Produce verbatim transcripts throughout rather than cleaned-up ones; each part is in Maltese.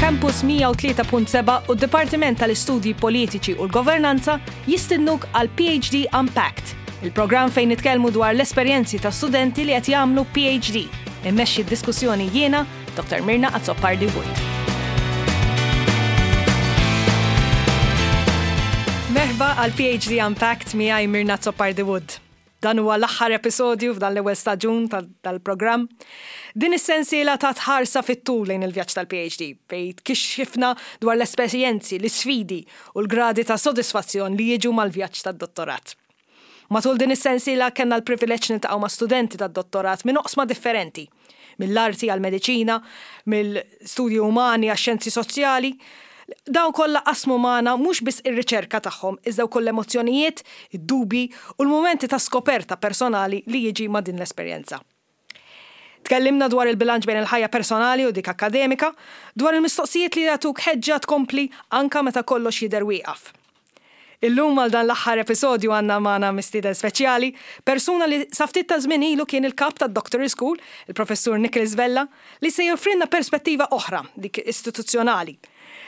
Campus mija u tlieta punt sebgħa u d-Dipartiment tal-Istudji Politiċi u l-Governanza jistednuk għal P H D Unpacked, il-programm fejn nitkellmu dwar l-esperjenzi ta' studenti li qed jagħmlu P H D. Immexxi d-diskussjoni jiena, Doktor Mirna Azzopardi Wood. Merħba għal P H D Unpacked miegħi Mirna Azzopardi Wood. Dan huwa l-aħħar episodju f'dan l-ewwel staġun tal-programm. Din is-sensiela ta' tħarsa fit-tul lejn il-vjaġġ tal-P H D, fejn kxifna dwar l-esperjenzi, l-isfidi u l-gradi ta' sodisfazzjon li jiġu mal-vjaġġ tad-dottorat. Matul din is-sensiela kellna l-privileġġ niltaqgħu ma' studenti tad-dottorat minn oqsma differenti, mill-arti għal-mediċina, mill-studji umani għax-xjenzi soċjali. Dawn kollha qasmu magħna mhux biss ir-riċerka tagħhom, iżda wkoll l-emozzjonijiet, id-dubi u l-mumenti ta' skoperta personali li jiġi ma' din l-esperjenza. Tkellimna dwar il-bilanċ bejn il-ħajja personali u dik akademika, dwar il-mistoqsijiet li jagħtuk ħeġġa tkompli anka meta kollox jidher wieqaf. Illum għal dan l-aħħar episodju għandna magħna mistieden speċjali, persuna li sa ftit ta' żmien ilu kien il-kap tad Doctoral School, il-professur Nicholas Vella, li se joffrilna perspettiva oħra, dik istituzzjonali.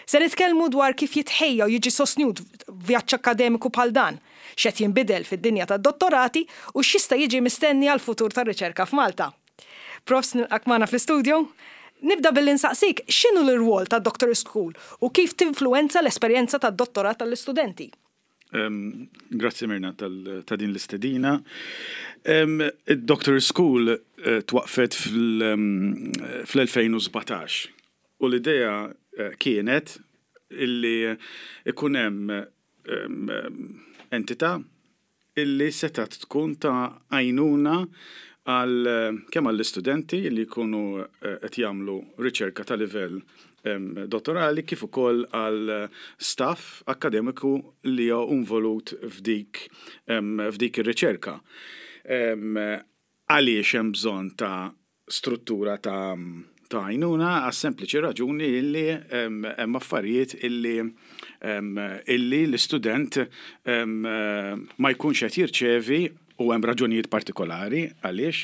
Se nitkellmu dwar kif jitħejja u jiġi sostnut vjaġġ akademiku bħal dan, x'qed jinbidel fid-dinja tad-dottorati u x'jista' jiġi mistenni għal futur tar-riċerka f'Malta. Profs, nilqgħek magħna fl-istudio. Nibda billi nsaqsik x'inhu l-rwol ta' Doctoral School u kif tinfluenza l-esperjenza tad-dottorat tal-istudenti. Um, grazzi Mirna ta' din l-istedina. Um, Id-Doctoral School uh, twaqfet fl-elfejn u sbatax u l-idea uh, kienet illi ikun hemm um, entità illi setat tkun ta' għajnuna għal kemm għall-istudenti li jkunu qed jagħmlu riċerka ta' livell dottorali kif ukoll għal staff akademiku li huwa involut f'dik f'dik ir-riċerka. Għaliex hemm bżonn ta' struttura ta' ta' għajnuna? Għas sempliċi raġuni illi hemm affarijiet illi illi l-istudent ma jkunx qed jirċevi, u hemm raġunijiet partikolari għaliex,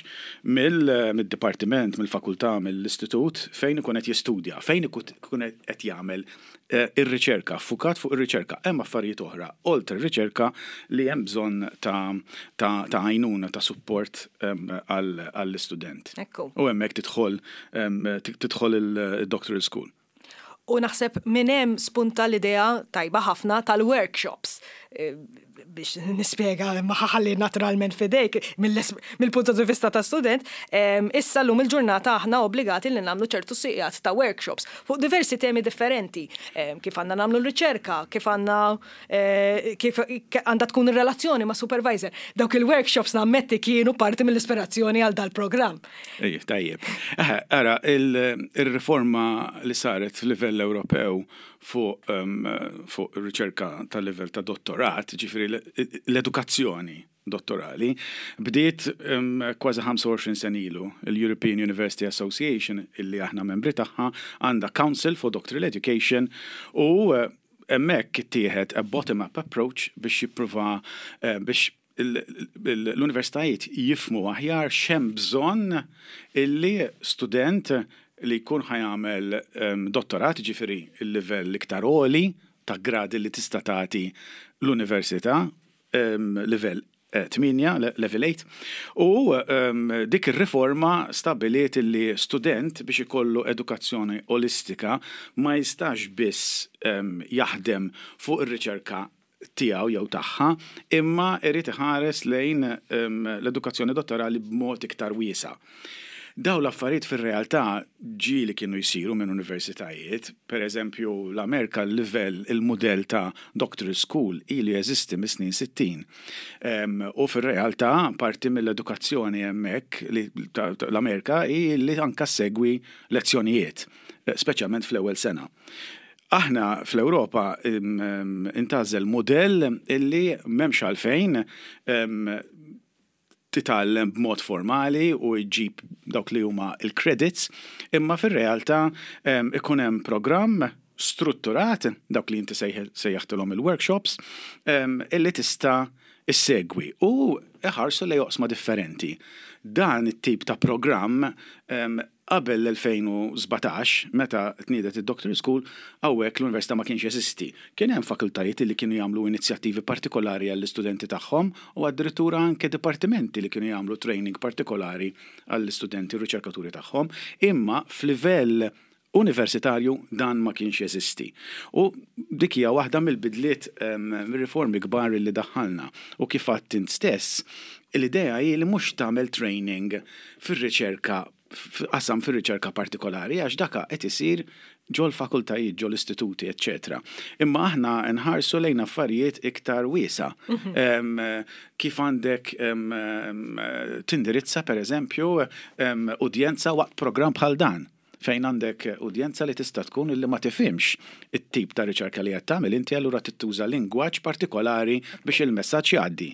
mill-dipartiment, mill-fakultà, mill-istitut fejn ikun qed jistudja, fejn ikun qed jagħmel eh, ir-riċerka, ffukat fuq ir-riċerka. Hemm affarijiet oħra oltre ir-riċerka li hemm bżonn ta' ta' għajnuna, ta' support għall-istudent. U hemmhekk tidħol tidħol il-doctoral school. U naħseb minn hemm spunta l-idea tajba ħafna tal-workshops. Eh, biex nispjega, ma ħalli naturalment f'idejk mill-punt di vista ta' student, issa l-lum il-ġurnata aħna obbligati li nagħmlu ċertu sigħat ta' workshops fuq diversi temi differenti, kif għandna nagħmlu l-riċerka, kif għandna eh, kif għandha tkun ir-relazzjoni ma' supervisor. Dawk il-workshops nammetti kienu parti mill-ispirazzjoni għal dal-programm. Ej, tajjeb. Ara, il-riforma li saret f'livell Ewropew fuq fuq riċerka tal livell ta' dottorat, ġifieri l-edukazzjoni dottorali, bdiet kważi ħamsa u għoxrin sena ilu. Il-European University Association, illi aħna membri tagħha, għandha Council for Doctoral Education u eh, hemmhekk ittieħed a bottom-up approach biex jippruva eh, biex l-universitajiet jifhmu aħjar x'hemm bżonn illi student li jkun ħa jagħmel dottorat, ġifieri il-livell iktar għoli ta' gradi li tista' tagħti l-università, livell tmienja, level eight, u dik ir-riforma stabiliet li student biex ikollu edukazzjoni olistika ma jistax biss jaħdem fuq ir-riċerka tiegħu jew tagħha, imma irid iħares lejn l-edukazzjoni dottorali b'mod iktar wiesa'. Daw l-affarijiet fir-realtà ġieli kienu jsiru minn universitajiet, per eżempju l-Amerika, l-livell, il-modell ta' doctoral school ilu jeżisti mis-snin sittin. U fir-realtà parti mill-edukazzjoni hemmhekk l-Amerika hi li anka segwi lezzjonijiet, speċjalment fl-ewwel sena. Aħna fl-Ewropa intgħażel modell illi m'hemmx għalfejn titgħallem b'mod formali u jġib dawk li huma il-credits, imma fir-realtà ikun hemm programm strutturat, dawk li inti sejjaħtilhom il-workshops, illi tista' issegwi u iħarsu lejn oqsma differenti. Dan it-tip ta' programm Qabel l-elfejn u sbatax, meta tniedet id-Doctorate School, hawnhekk l-università ma kienx jeżisti. Kien hemm fakultajiet li kienu jagħmlu inizjattivi partikolari għall-istudenti tagħhom u addirittura anke dipartimenti li kienu jagħmlu training partikolari għall-istudenti u riċerkaturi tagħhom, imma f'livell universitarju dan ma kienx jeżisti. U dik hija waħda mill-bidliet, riformi kbar li daħħalna. U kif għedt int stess, l-idea hi li mhux tagħmel training fir-riċerka, qasam fir-riċerka partikolari, għax daka qed isir ġol fakultajiet, ġol istituti, eċċetera. Imma aħna nħarsu lejn affarijiet iktar wiesa. Mhm. Kif għandek tindirizza, per eżempju, udjenza waqt program bħal dan, fejn għandek udjenza li tista' tkun illi ma tifhimx it-tip ta' riċerka li qed tagħmel inti, allura tittuża lingwaġġ partikolari biex il-messaġġ jgħaddi.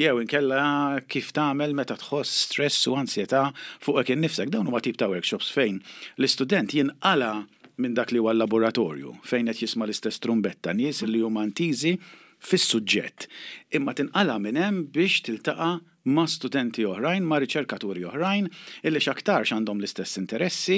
Jew inkella kif tagħmel meta tħoss stress u ansjetà fuqek innifsek. Dawn huma tip ta' workshops fejn l-istudent jinqala minn dak li huwa l-laboratorju fejn qed jisma' l-istess trumbetta, nies li huma intiżi fis-suġġett. Imma tinqala minn hemm biex tiltaqa' ma' studenti oħrajn, ma' riċerkaturi oħrajn, illi x'aktarx għandhom l-istess interessi,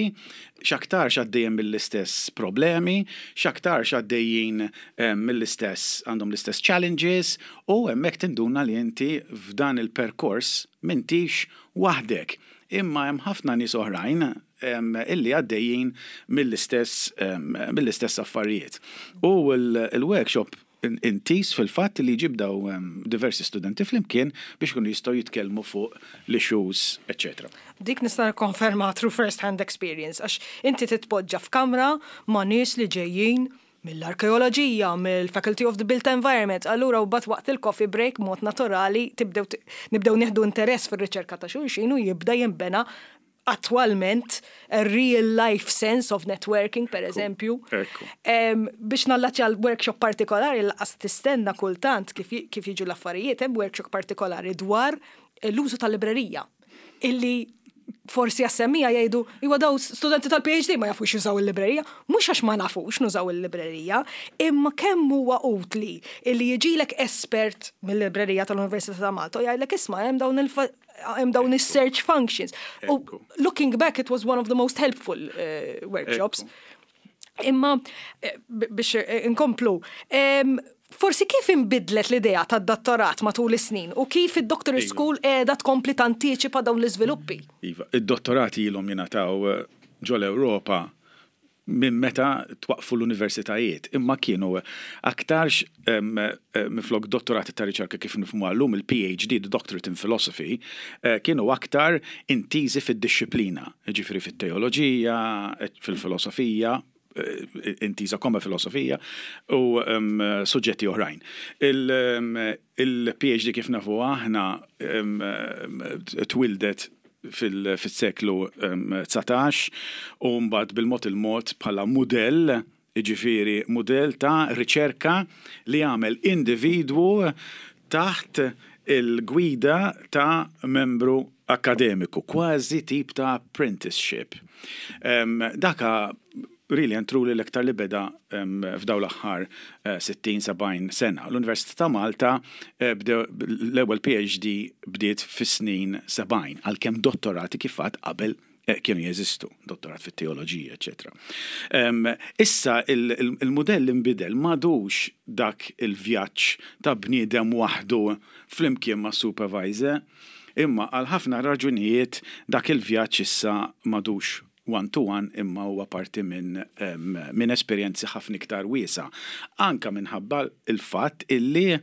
x'aktarx għaddejjin mill-istess problemi, x'aktarx għaddejjin eh, mill-istess għandhom l-istess challenges, u hemmhekk tinduna li inti f'dan il-perkors m'intix waħdek. Imma hemm ħafna nies oħrajn illi għaddejjin mill-istess mill-istess affarijiet. U l-workshop intiż fil-fatt li jġib daw diversi studenti flimkien biex kunu jistgħu jitkellmu fuq l-issues, eċċetera. Dik nista' nikkonferma through first hand experience, għax inti titpoġġa f'kamra ma' nies li ġejjin mill-arkeoloġija, mill-Faculty of the Built Environment, allura u bat waqt il-coffee break mod naturali tibdew nibdew nieħdu interess fir-riċerka ta' xulxin u jibda jinbena attualment a real life sense of networking, per eżempju. Biex nallaċċja l-workshop partikolari, l-qas tistenna kultant kif kif jiġu l-affarijiet, hemm workshop partikolari dwar l-użu tal-librerija illi forsi għas-semmiegħa jgħidu, "Iwa, daw studenti tal-P H D ma jafux jużaw il-librerija." Mhux għax ma nafux nużaw il-librerija, imma kemm huwa utli illi jiġilek espert mill-librerija tal-Università ta' Malta u jgħidlek, "Isma', hemm dawn il hemm dawn is-search functions." U looking back, it was one of the most helpful uh, workshops. Imma eh, biex eh, inkomplu, forsi kif inbidlet l-idea tad-dottorat matul is-snin u kif id-Doctorate iva. School qiegħda tkompli tantiċipa dawn l-iżviluppi? Iva, id-dottorati ilhom jingħataw ġol Ewropa minn meta twaqfu l-universitajiet, imma kienu aktarx minflok dottorati ta' riċerka kif nifhmu għallum il-P H D, the Doctorate in Philosophy, eh, kienu aktar intiżi fid-disciplina, ġifieri fit-teoloġija, fil-filosofija, eh, intiża koma filosofija u um, suġġetti oħrajn. Il-P H D kif nafu aħna um, twildet fil-seklu dsatax u mbagħad bil-mod il-mod bħala mudell, jiġifieri mudell ta' riċerka li għamel individwu taħt il-gwida ta' membru akademiku, kważi tip ta' apprenticeship. Um, daka really and truly l-iktar li beda um, f'daw l-aħħar uh, sittin sebgħin sena. L-Università ta' Malta uh, l-ewwel P H D bdiet fis-snin sebgħin, għalkemm dottorati kif qabel eh, kienu jeżistu, dottorat fit-teoloġija, eċċetera. Um, issa il-modell imbidel, m'għadux dak il-vjaġġ ta' bniedem waħdu flimkien ma' supervisor, imma għal ħafna raġunijiet dak il-vjaġġ issa m'għadux one to one, imma huwa parti minn um, min esperjenzi ħafna iktar wiesa. Anka minħabba il-fatt illi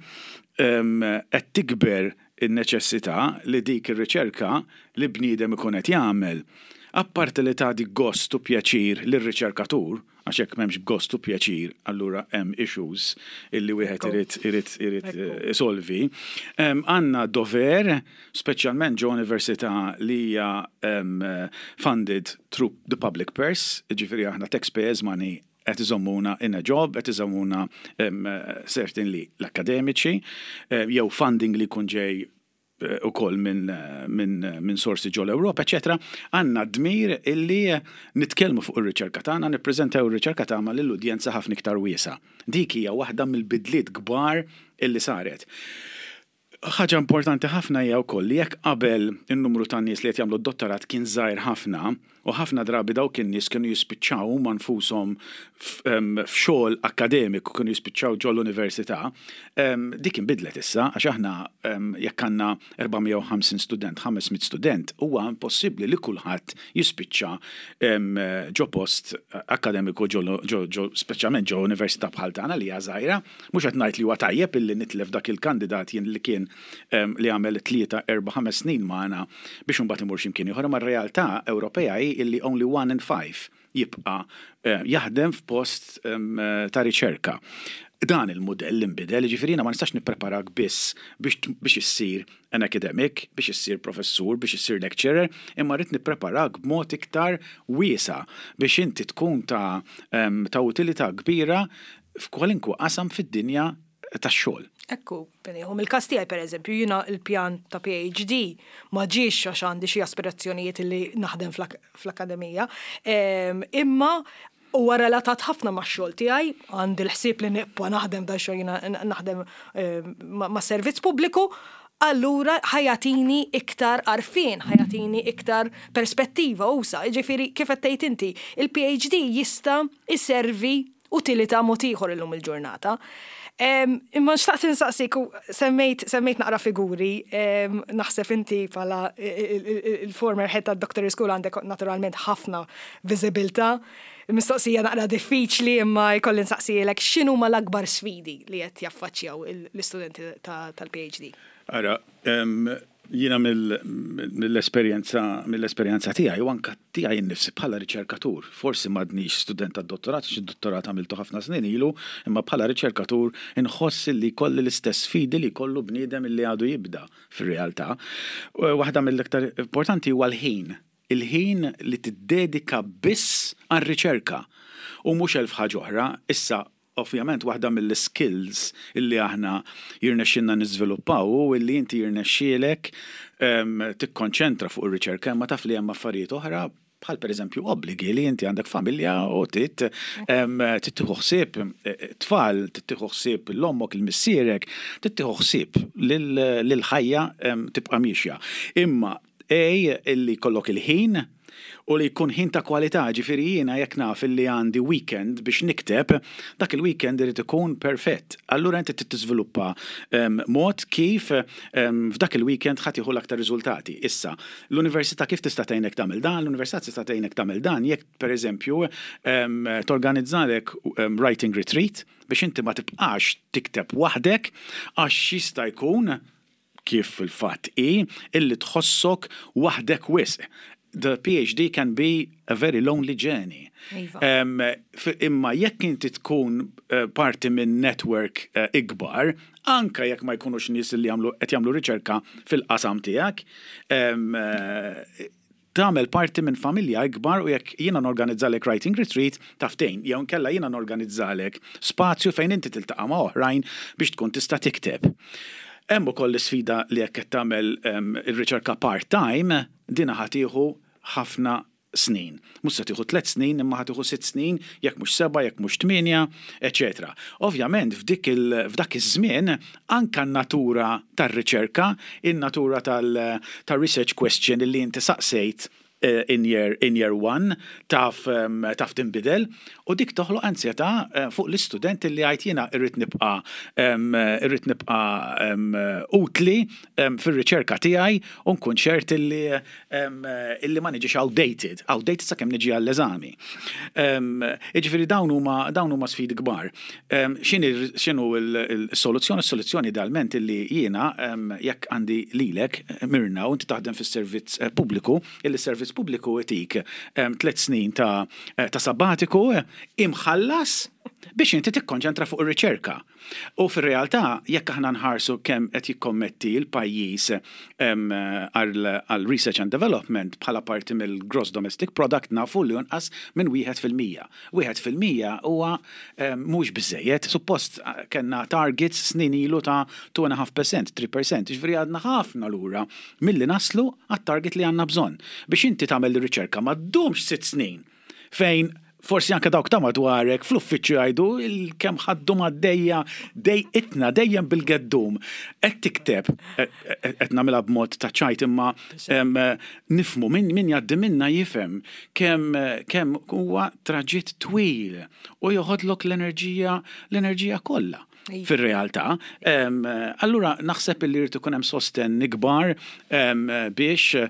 qed tikber in-neċessità li dik ir-riċerka li bniedem ikun qed jagħmel, apparti li tagħti gost u pjaċir lir-riċerkatur, għax hekk m'hemmx gost u pjaċir, allura hemm issues illi wieħed irid irid irid isolvi. Għandna dover, speċjalment ġo università li hija funded through the public purse, ġifieri aħna taxpayers money qed iżommuna in a job, qed iżommuna certainly l-akademiċi, jew funding li jkun ġej u koll minn min, min sorsi ġol Ewropa, eċċetera. Għandna dmir illi nitkellmu fuq ir-riċerka tagħna, nippreżentaw ir-riċerka tagħna lill-udjenza ħafna iktar wiesa. Dik hija waħda mill-bidliet kbar illi saret. Ħaġa importanti ħafna hija wkoll li jekk qabel in-numru ta' nies li qed jagħmlu d-dottorat kien żgħir ħafna U ħafna drabi dawk in-nies kienu jispiċċaw huma nfushom f'xogħol akademiku, kienu jispiċċaw ġol università. Dik inbidlet issa, għax aħna jekk għandna erba' mija u ħamsin student, ħames mitt student, huwa impossibbli li kulħadd jispiċċa ġo post akademiku ġo, speċjalment ġo università bħal tagħna li hija żgħira. Mhux qed ngħid li huwa tajjeb illi nitlef dak il-kandidat jien li kien li għamel tlieta, erba', ħames snin magħna biex imbagħad imur x'imkien ieħor, ma r-realtà Ewropea hi illi only one in five jibqa' eh, jaħdem f'post ta' riċerka. Dan il-modell inbidel, ġifieri ma nistax nippreparak biss biex biex issir an academic, biex issir professur, biex issir lecturer, imma rrid nippreparak b'mod iktar wiesa' biex inti tkun ta' ta' utilità kbira f'kwalinkwa qasam fid-dinja tax-xogħol. Ekku, beniħu, il-kas tiegħi, per eżempju, jiena il-pjan ta' P H D ma ġiex għax għandi xi aspirazzjonijiet li naħdem fl-akademija, imma huwa relatat ħafna ma' xogħol tiegħi, għandi l-ħsieb li nibqa' naħdem da xogħol, jiena naħdem ma' servizz pubbliku, allura ħa jagħtini iktar għarfien, ħa jagħtini iktar perspettiva usa'. Ġifieri, kif qed tgħid inti, il-P H D jista' iservi utilità mod ieħor illum il-ġurnata. Imma xtaqt insaqsik, semmejt semmejt naqra figuri, naħseb inti bħala il-former head ta' Doctor School għandek naturalment ħafna viżibilità. Mistoqsija naqra diffiċli, imma jkolli nsaqsijilek: x'inhuma l-akbar sfidi li qed jaffaċċjaw l-istudenti tal-P H D? Ara, jiena mill-esperjenza mill-esperjenza tiegħi u anka tiegħi nnifsi bħala riċerkatur, forsi m'għadnix student tad-dottorat, xi dottorat għamiltu ħafna snin ilu, imma bħala riċerkatur inħoss li kolli l-istess sfidi li kollu bniedem li għadu jibda fir-realtà. Waħda mill-iktar importanti huwa l-ħin. Il-ħin li tiddedika biss għar-riċerka u mhux elf ħaġa oħra. Issa, ovvjament, waħda mill-skills illi aħna jirnexxilna niżviluppaw u illi inti jirnexxielek tikkonċentra fuq ir-riċerka, imma taf li hemm affarijiet oħra, bħal per eżempju obbligi li inti għandek familja u tit tieħu ħsieb eh, tfal, tieħu ħsieb l-ommok, il-missierek, tieħu ħsieb lil-ħajja tibqa' miexja. Imma ej illi jkollok il-ħin u li jkun ħin ta' kwalità, ġifieri jiena jekk naf illi għandi weekend biex nikteb, dak il-weekend irid ikun perfett. Allura inti tiżviluppa um, mod kif um, f'dak il-weekend ħa tieħu l-aktar riżultati. Issa, l-università kif tista' tgħinek tagħmel dan? L-università tista' tgħinek tagħmel dan jekk pereżempju um, torganizzalek um, writing retreat biex inti ma tibqax tikteb waħdek, għax jista' jkun, kif fil-fatt i, illi tħossok waħdek wisq. The P H D can be a very lonely journey. Iva. Um, imma jekk inti tkun uh, parti minn network uh, ikbar, anka jekk ma jkunux nies li jagħmlu qed jagħmlu riċerka fil-qasam tiegħek, um, uh, tagħmel parti minn familja ikbar u jekk jiena norganizzalek writing retreat taftejn, jew nkella jiena norganizzalek spazju fejn inti tiltaqa' ma' oħrajn biex tkun tista' tikteb. Hemm ukoll l-isfida li jekk qed tagħmel um, ir-riċerka part-time, dina ħa tieħu ħafna snin. Mhux se tieħu tliet snin, imma ħa tieħu sitt snin, jekk mhux seba', jekk mhux tmienja, eċetera. Ovvjament f'dik il f'dak iż-żmien anka n-natura tar-riċerka, in-natura tal-research question li inti saqsejt eh, in year, in year one taf, um, taf tinbidel u dik toħloq ansjetà eh, fuq l-istudent li għajt jiena irrid nibqa' um, irrid nibqa' um, utli um, fir-riċerka tiegħi u nkun ċert illi, um, illi ma niġix outdated, outdated sakemm niġi għall-eżami. Um, Jiġifieri dawn huma dawn huma sfidi kbar. Um, X'inhu il-soluzzjoni? Is-soluzzjoni idealment illi jiena um, jekk għandi lilek Mirna u inti taħdem fis-servizz eh, pubbliku, illi servizz pubbliku itik um, tliet snin ta', eh, ta' sabbatiku imħallas biex inti tikkonċentra fuq ir-riċerka. U fir-realtà, jekk aħna nħarsu kemm qed jikkommetti l-pajjiż għal research and development bħala parti mill-gross domestic product, nafu li jonqas minn wieħed fil-mija. Wieħed fil-mija huwa mhux biżejjed, suppost kellna targets snin ilu ta' two point five percent, three percent, ġifieri għadna ħafna lura milli naslu għat-target li għandna bżonn. Biex inti tagħmel ir-riċerka ma ddumx sitt snin fejn Forsi anke dawk ta' madwarek fl-uffiċċju jgħidu il-kemm ħaddu għaddejja dejqitna dejjem bil-geddum. Qed tikteb, qed nagħmilha b'mod ta' ċajt, imma nifhmu min min jgħaddi minna jifhem kemm kemm huwa traġitt twil u joħodlok l-enerġija l-enerġija kollha fir-realtà. Allura naħseb li jrid ikun hemm sosten ikbar biex eh,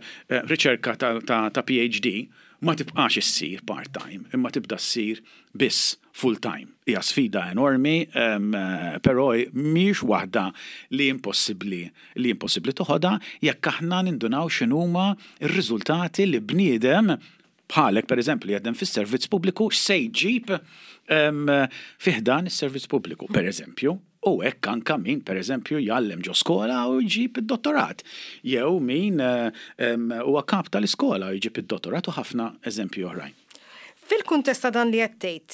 riċerka ta' P H D ma tibqax issir part-time, imma tibda ssir biss full-time. Hija sfida enormi, però mhix waħda li impossibbli li impossibbli toħodha jekk aħna nindunaw x'inhuma r-riżultati li bniedem bħalek, per eżempju, li jaħdem fis-servizz pubbliku, se jġib fi ħdan is-servizz pubbliku, per eżempju. U hekk anka min, per eżempju, jgħallem ġo skola u jġib id-dottorat. Jew min huwa kap tal-iskola u jġib id-dottorat u ħafna eżempju oħrajn. Fil-kuntest ta' dan li qed tgħid,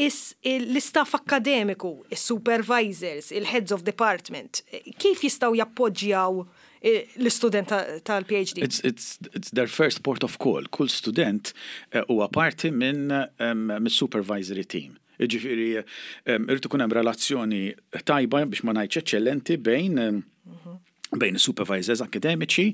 l-istaff akademiku, il-supervisors, il-heads of department, kif jistgħu jappoġġjaw eh, l-istudent tal-P H D? It's, it's, it's their first port of call. Kull student eh, huwa parti minn um, supervisory team. Ġifieri, irid ikun hemm relazzjoni tajba, biex ma ngħidx eċċellenti, bejn bejn supervisors akademiċi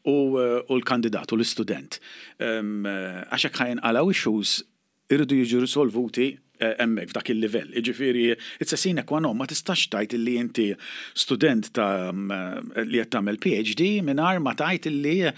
u, u l-kandidat u l-istudent. Għax hekk ħa jinqalgħu issues, irridu jiġu risolvuti eh, hemmhekk f'dak il-livell. Ġifieri, it's a sine qua non, ma tistax tgħid illi inti student ta' li qed tagħmel P H D mingħajr ma tgħid illi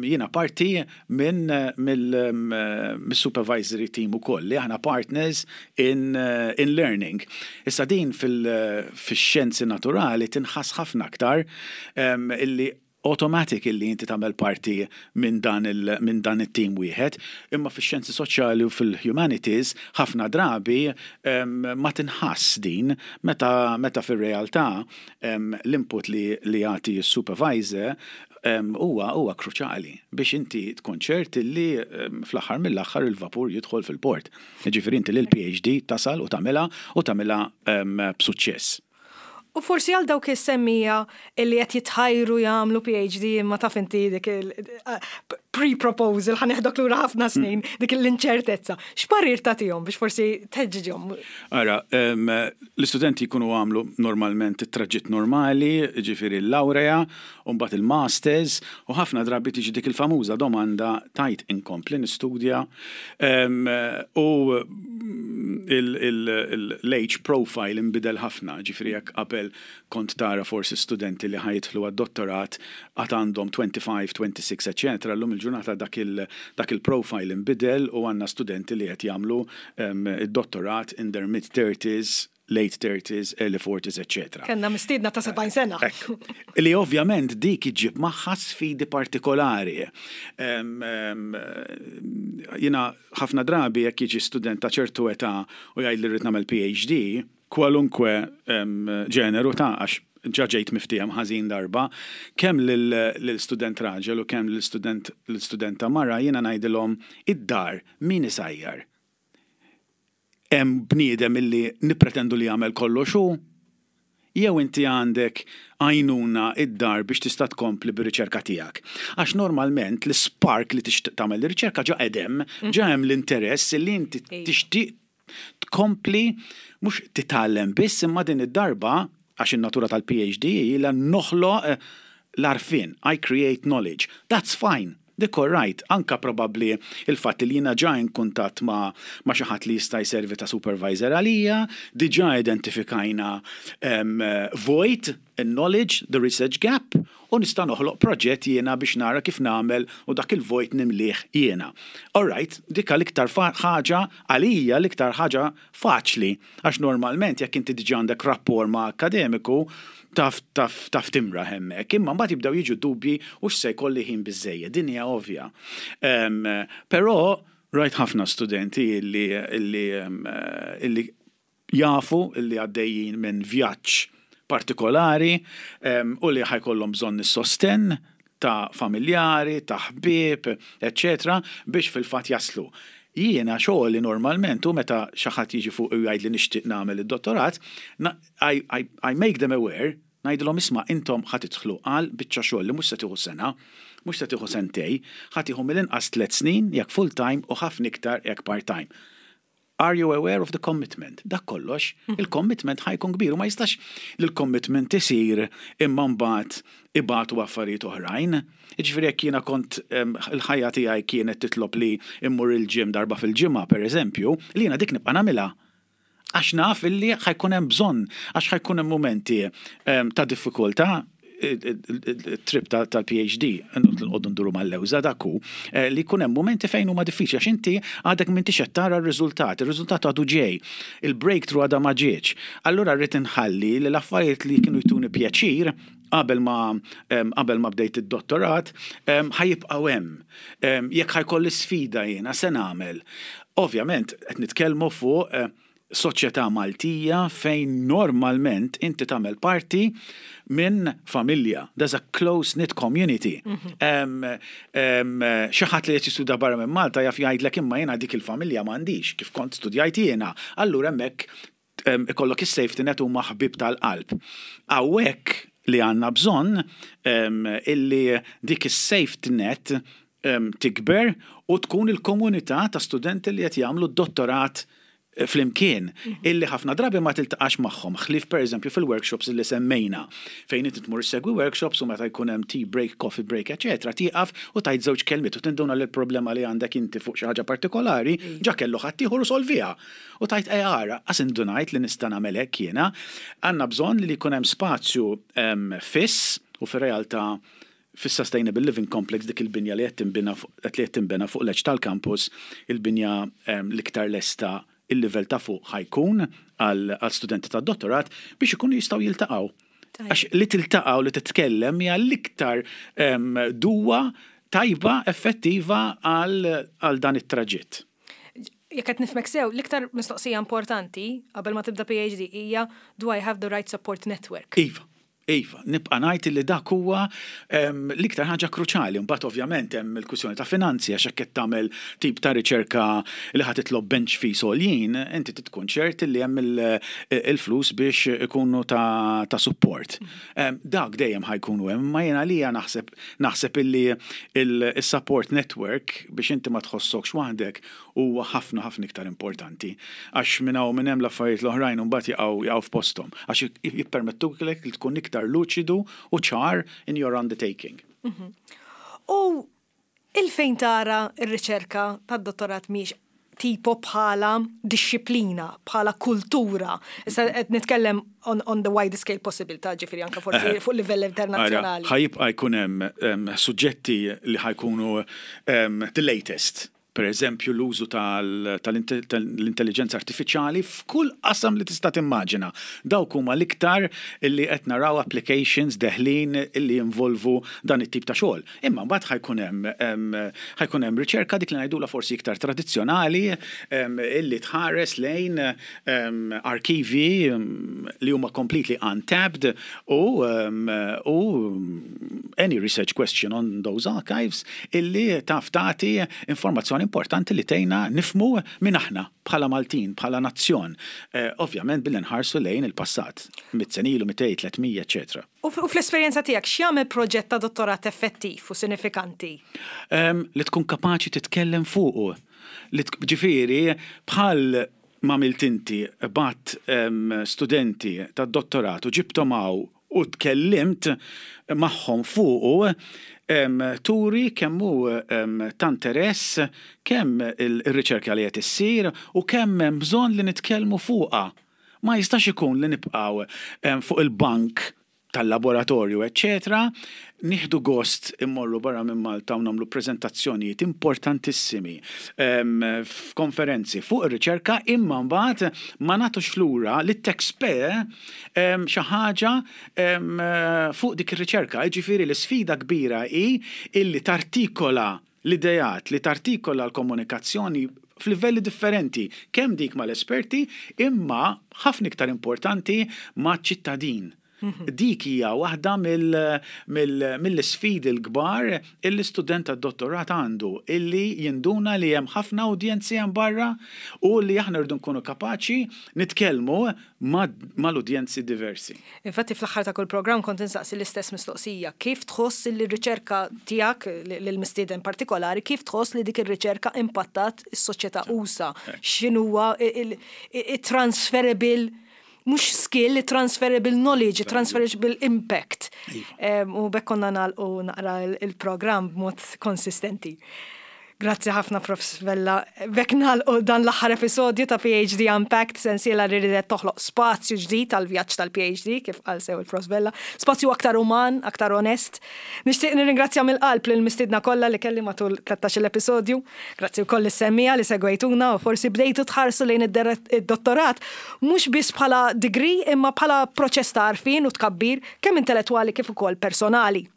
jiena parti minn mill-supervisory team ukoll, li aħna partners in, in learning. Issa din fil-xjenzi naturali tinħass ħafna aktar, illi automatic illi inti tagħmel parti minn dan il minn dan it-team wieħed, imma fix-xjenzi soċjali u fil-humanities ħafna drabi um, ma tinħass din, meta meta fir-realtà um, l-input li li jagħti s-supervisor huwa um, huwa kruċjali biex inti tkun ċert li um, fl-aħħar mill-aħħar il-vapur jidħol fil-port. Ġifieri inti lil P H D tasal u tagħmilha u tagħmilha um, b'suċċess. U forsi għal dawk is-semmiegħa illi qed jitħajru jagħmlu P H D, imma taf inti dik il-pre-proposal, ħa neħdok lura ħafna snin, dik l-inċertezza. X'parir tagħtihom biex forsi tħeġġiġhom? Ara, l-istudenti jkunu għamlu normalment it-traġitt normali, ġifieri l-laurea, u mbagħad il-masters, u ħafna drabi tiġi dik il-famuża domanda tajt inkompli nistudja u l-age profile imbidel ħafna, ġifieri jekk qabel kont tara forsi studenti li ħa jidħlu għad-dottorat għad għandhom twenty-five, twenty-six, eccetera. Llum il-ġurnata dak il-profile imbidel u għandna studenti li qed jagħmlu id-dottorat in their mid-thirties, late thirties, early forties, eccetera. Kellna mistiedna ta' sebgħin sena. Li ovvjament dik iġib magħha sfidi partikolari. Jiena ħafna drabi jekk jiġi student ta' ċertu età u jgħid li rrid nagħmel P H D, kwalunkwe ġeneru ta', għax ġa ġejt miftiehem ħażin darba, kemm lill-student raġel u kemm lill-student l-studenta mara, jiena ngħidilhom: id-dar min isajjar? Hemm bniedem illi nippretendu li jagħmel kollox hu? Jew inti għandek għajnuna id-dar biex tista' tkompli bir-riċerka tiegħek? Għax normalment l-spark li tixtieq tagħmel ir-riċerka ġa qedem, ġa hemm l-interess li inti tixtieq tkompli, mhux titgħallem biss, imma din id-darba, għax in-natura tal-P H D ila noħloq eh, l-għarfien, I create knowledge. That's fine. Dik all right, anka probabli il-fatt li jiena ġa in kuntatt ma, ma xi ħadd li jista' jservi ta' supervisor għalija, diġà identifikajna um, void in knowledge, the research gap, u nista' noħloq proġett jiena biex nara kif nagħmel u dak il-vojt nimlih jiena. All right, dik l-iktar ħaġa għalija, l-iktar ħaġa faċli, għax normalment jekk inti diġà għandek rapport ma' akademiku, taf taf taf timra hemmhekk, imma mbagħad jibdew jiġu dubji u x'se jkolli ħin biżejjed, din hija ovvja. Um, però rajt ħafna studenti illi illi illi jafu illi għaddejjin minn vjaġġ partikolari um, u li ħa jkollhom bżonn is-sosten ta' familjari, ta' ħbieb, eccetera, biex fil-fatt jaslu. Jiena xogħli normalment u meta xi ħadd jiġi fuq u jgħid li nixtieq nagħmel id-dottorat, I, I, I make them aware, ngħidilhom: isma', intom ħa tidħlu għal biċċa xogħol li mhux se tieħu sena, mhux se tieħu sentej, ħa tieħu mill-inqas tliet snin jekk full time u ħafna iktar jekk part time. Are you aware of the commitment? Dak kollox, il-commitment ħa jkun kbir u ma jistax li l-commitment isir imma mbagħad ibatu affarijiet oħrajn. Jiġifieri jekk jiena kont em, il-ħajja tiegħi kienet titlob li immur il-gym darba fil-ġimgħa, per eżempju, li jiena dik nibqa' nagħmilha. Għax naf illi ħa jkun hemm bżonn, għax ħa jkun hemm momenti em, ta' diffikultà, trip tal-P H D, nqogħdu nduru mal-lewża dak hu, eh, li jkun hemm momenti fejn huma diffiċli għax inti għadek m'intix qed tara r-riżultat, ir-riżultat għadu ġej, il-breakthrough għadha ma ġietx. Allura rrid inħalli li l-affarijiet li kienu jtuni pjaċir qabel ma em, qabel ma bdejt id-dottorat em, ħa jibqgħu hemm. Em, Jekk ħa jkolli sfida jiena se nagħmel. Ovvjament qed nitkellmu fuq eh, soċjetà Maltija fejn normalment inti tagħmel parti minn familja. There's a close-knit community. Em, em, Xi ħadd li qed jistudja barra minn Malta jaf jgħidlek, "Imma jiena dik il-familja m'għandix kif kont studjajt jiena." Allura hemmhekk em, ikollok is-safety net, huma ħbib tal-qalb. Hawnhekk li għandna bżonn em, illi dik is-safety net em, tikber u tkun il-komunità ta' studenti li qed jagħmlu d-dottorat eh, flimkien, illi ħafna drabi ma tiltaqax magħhom, ħlief per eżempju fil-workshops illi semmejna, fejn inti tmur segwi workshops u meta jkun hemm tea break, coffee break, eċetera, tieqaf u tgħid żewġ kelmiet u tinduna li l-problema li għandek inti fuq xi ħaġa partikolari ġa kellu ħaddieħor u solviha. U tgħid, "Ej ara, qas indunajt li nista' nagħmel hekk jiena." Għandna bżonn li jkun hemm spazju em, fiss u fir-realtà fis-Sustainable Living Complex, dik il-binja li qed tinbina fuq li qed tinbena fuq l tal-campus, il-binja em, l-iktar lesta, il-livell ta' fuq ħa jkun għal għal studenti ta' dottorat biex ikunu jistgħu jiltaqgħu. Tajjeb. Għax li tiltaqgħu, li titkellem hija l-iktar em, duwa tajba, effettiva għal għal dan it-traġitt. Jekk qed nifhmek sew, l-iktar mistoqsija importanti qabel ma tibda P H D hija: "Do I have the right support network?" Iva, iva, nibqa' ngħid li dak huwa em, l-iktar ħaġa kruċali. Mbagħad ovvjament hemm il-kwistjoni ta' finanzi, għax hekk qed tagħmel tip ta' riċerka li ħa titlob bench fees għoljin, inti tkun ċert li hemm il- il-flus biex ikunu ta', ta support. Em, Dak dejjem ħa jkunu hemm, ma jiena lija naħseb naħseb illi il-support network biex inti ma tħossokx waħdek huwa ħafna ħafna iktar importanti. Għax minn hawn minn hemm l-affarijiet l-oħrajn mbagħad jaqgħu jaqgħu f'posthom. Għax jippermettuk li tkun iktar luċidu u ċar in your undertaking. U il-fejn tara ir-riċerka tad-dottorat mhix tipo bħala dixxiplina, bħala kultura? Issa qed nitkellem on, on the widest scale possible, ta' ġifieri anka forsi fuq livell internazzjonali. Ħa jibqa' jkun hemm em, suġġetti li ħa jkunu em, the latest. Per eżempju, l-użu tal- tal-intelligenza artifiċjali f'kull qasam li tista' timmaġina. Dawk huma l-iktar illi qed naraw applications deħlin illi jinvolvu dan it-tip ta' xogħol. Imma mbagħad ħa jkun hemm em, ħa jkun hemm riċerka dik li ngħidulha forsi iktar tradizzjonali em, illi tħares lejn em, arkivi em, li huma completely untapped u em, u any research question on those archives illi taf tagħti informazzjoni importanti li tgħinna nifhmu min aħna bħala Maltin, bħala nazzjon. Eh, ovvjament billi nħarsu lejn il-passat, mitt sena ilu, mitejn, tliet mija, eċetera. U f- u fl-esperjenza tiegħek, x'jagħmel proġett ta' dottorat effettiv u sinifikanti? Em, li tkun kapaċi titkellem fuqu. Li sk- ġifieri, bħal ma għamilt inti, bgħatt em, studenti ta' dottorat u ġibtom hawn u tkellimt magħhom fuqu, em, turi kemm hu em, ta' interess kemm il-riċerka li qed issir u kemm hemm bżonn li nitkellmu fuqha. Ma jistax ikun li nibqgħu em, fuq il-bank tal-laboratorju, eccetera, nieħdu gost immorru barra minn Malta u nagħmlu prezentazzjonijiet importantissimi em, f'konferenzi fuq ir-riċerka, imma mbagħad ma nagħtux lura lit-taxpayer em, xi ħaġa em, fuq dik ir-riċerka. Jiġifieri l-isfida kbira hi illi tartikola l-idejat, li tartikola l-komunikazzjoni f'livelli differenti, kemm dik mal-esperti, imma ħafna iktar importanti ma' ċittadin. Dik hija waħda mill-sfidi l-kbar illi student tad-dottorat għandu, illi jinduna li hemm ħafna udjenzi hemm barra u li aħna rridu nkunu kapaċi nitkellmu mal-udjenzi diversi. Infatti, fl-aħħar ta' kull programm kont insaqsi l-istess mistoqsija. Kif tħoss li r-riċerka tiegħek, l-mistieden partikolari, kif tħoss li dik ir-riċerka impattat is-soċjetà usa'? X'inhuwa il-transferable mhux skill, transferable knowledge, transferable impact? Iva. U b'hekk konna nagħlqu naqra il-programm b'mod konsistenti. Grazzi ħafna, Professor Vella. B'hekk nagħlqu dan l-aħħar episodju ta' P H D Unpacked, sensiela li ridet toħloq spazju ġdid tal-vjaġġ tal-P H D, kif qal sew il-Professor Vella. Spazju aktar uman, aktar onest. Nixtieq nirringrazzja mill-qalb lil mistiedna kollha li kelli matul tlettax-il episodju. Grazzi wkoll lis-semmiegħa li segwejtuna u forsi bdejtu tħarsu lejn id-dottorat mhux biss bħala degree, imma bħala proċess ta' għarfien u tkabbir kemm intellettwali kif ukoll personali.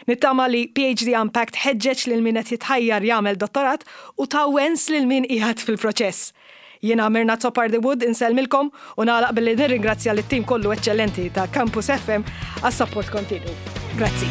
Nittama li P H D Unpacked ħeġġeġ lil min qed jitħajjar jagħmel dottorat u ta wens lil min qiegħed fil-proċess. Jiena Mirna Azzopardi Wood, insellmilkom u nagħlaq billi nirringrazzja lit-tim kollu eċċellenti ta' Campus F M għas-support kontinu. Grazzi.